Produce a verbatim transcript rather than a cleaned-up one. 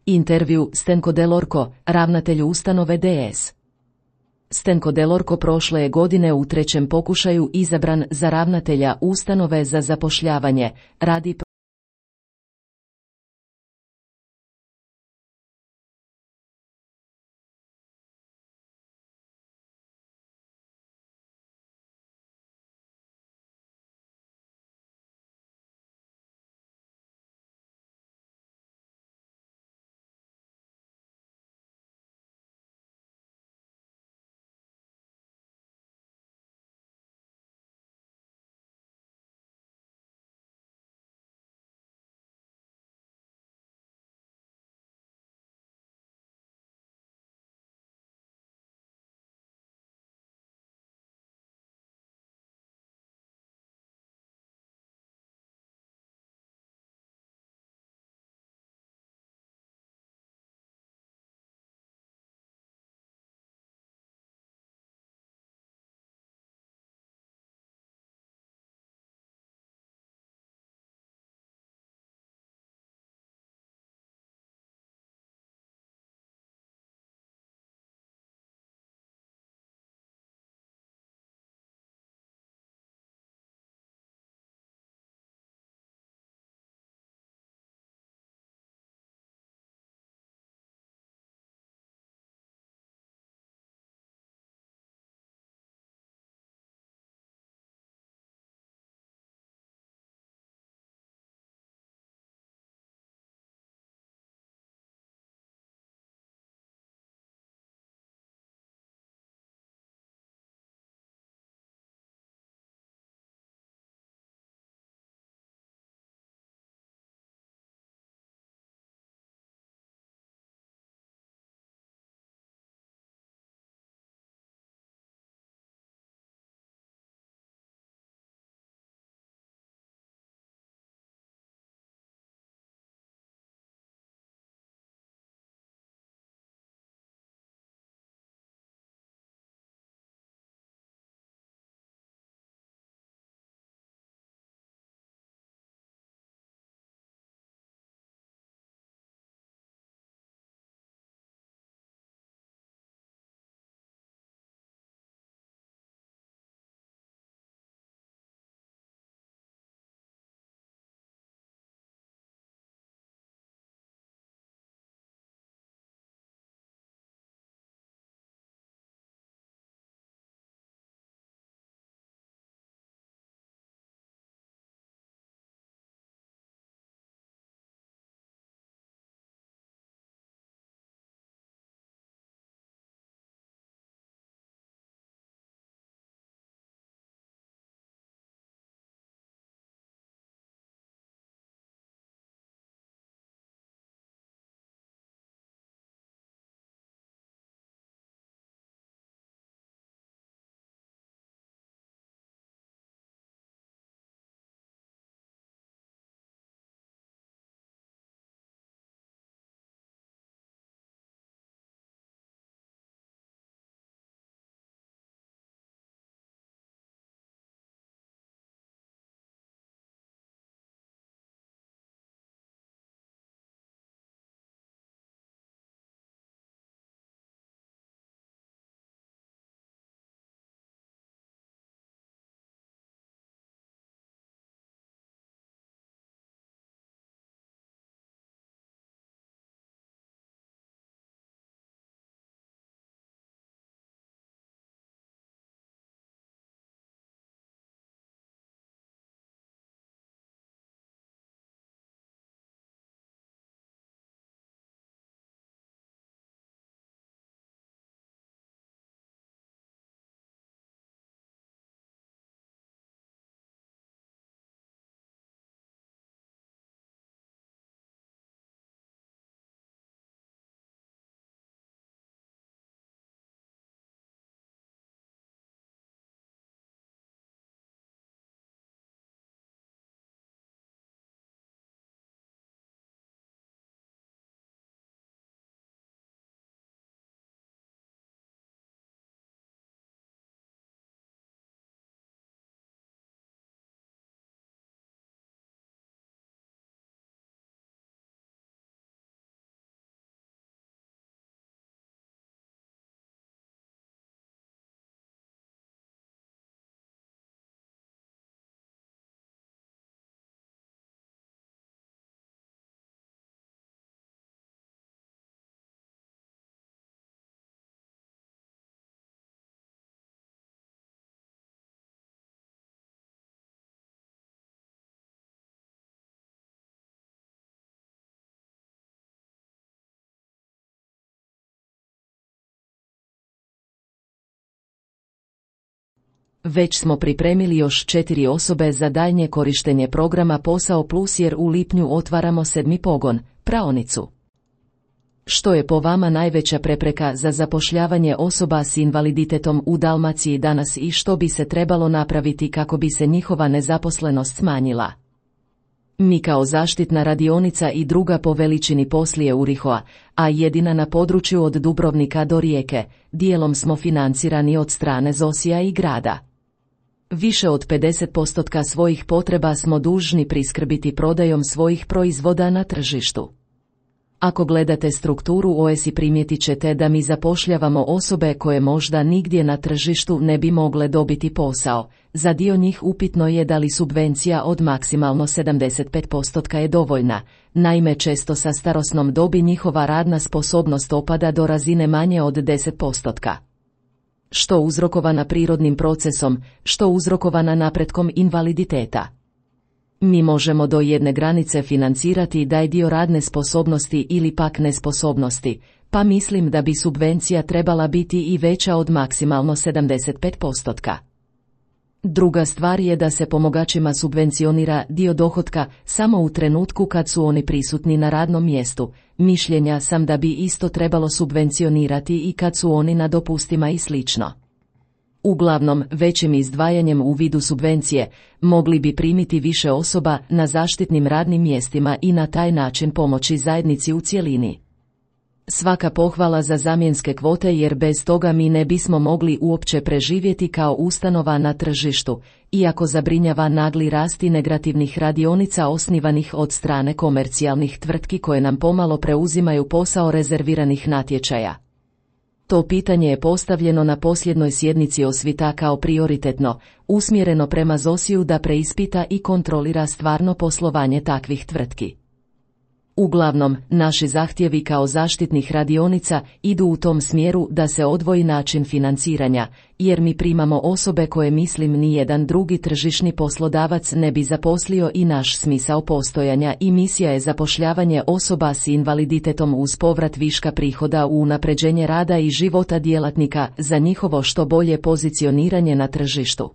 Intervju Stenko Delorko, ravnatelju ustanove D S. Stenko Delorko prošle je godine u trećem pokušaju izabran za ravnatelja ustanove za zapošljavanje, radi Već smo pripremili još četiri osobe za daljnje korištenje programa Posao Plus jer u lipnju otvaramo sedmi pogon, praonicu. Što je po vama najveća prepreka za zapošljavanje osoba s invaliditetom u Dalmaciji danas i što bi se trebalo napraviti kako bi se njihova nezaposlenost smanjila? Mi kao zaštitna radionica i druga po veličini poslije Urihoa, a jedina na području od Dubrovnika do Rijeke, dijelom smo financirani od strane Zosija i grada. Više od pedeset posto svojih potreba smo dužni priskrbiti prodajom svojih proizvoda na tržištu. Ako gledate strukturu O S I primijetit ćete da mi zapošljavamo osobe koje možda nigdje na tržištu ne bi mogle dobiti posao. Za dio njih upitno je da li subvencija od maksimalno sedamdeset pet posto je dovoljna, naime često sa starosnom dobi njihova radna sposobnost opada do razine manje od deset posto. Što uzrokovana prirodnim procesom, što uzrokovana napretkom invaliditeta. Mi možemo do jedne granice financirati daj dio radne sposobnosti ili pak nesposobnosti, pa mislim da bi subvencija trebala biti i veća od maksimalno sedamdeset pet posto. Druga stvar je da se pomagačima subvencionira dio dohotka samo u trenutku kad su oni prisutni na radnom mjestu. Mišljenja sam da bi isto trebalo subvencionirati i kad su oni na dopustima i slično. Uglavnom, većim izdvajanjem u vidu subvencije, mogli bi primiti više osoba na zaštitnim radnim mjestima i na taj način pomoći zajednici u cjelini. Svaka pohvala za zamjenske kvote jer bez toga mi ne bismo mogli uopće preživjeti kao ustanova na tržištu, iako zabrinjava nagli rast integrativnih radionica osnivanih od strane komercijalnih tvrtki koje nam pomalo preuzimaju posao rezerviranih natječaja. To pitanje je postavljeno na posljednoj sjednici Osvita kao prioritetno, usmjereno prema Zosiju da preispita i kontrolira stvarno poslovanje takvih tvrtki. Uglavnom, naši zahtjevi kao zaštitnih radionica idu u tom smjeru da se odvoji način financiranja, jer mi primamo osobe koje mislim ni jedan drugi tržišni poslodavac ne bi zaposlio i naš smisao postojanja i misija je zapošljavanje osoba s invaliditetom uz povrat viška prihoda u unapređenje rada i života djelatnika za njihovo što bolje pozicioniranje na tržištu.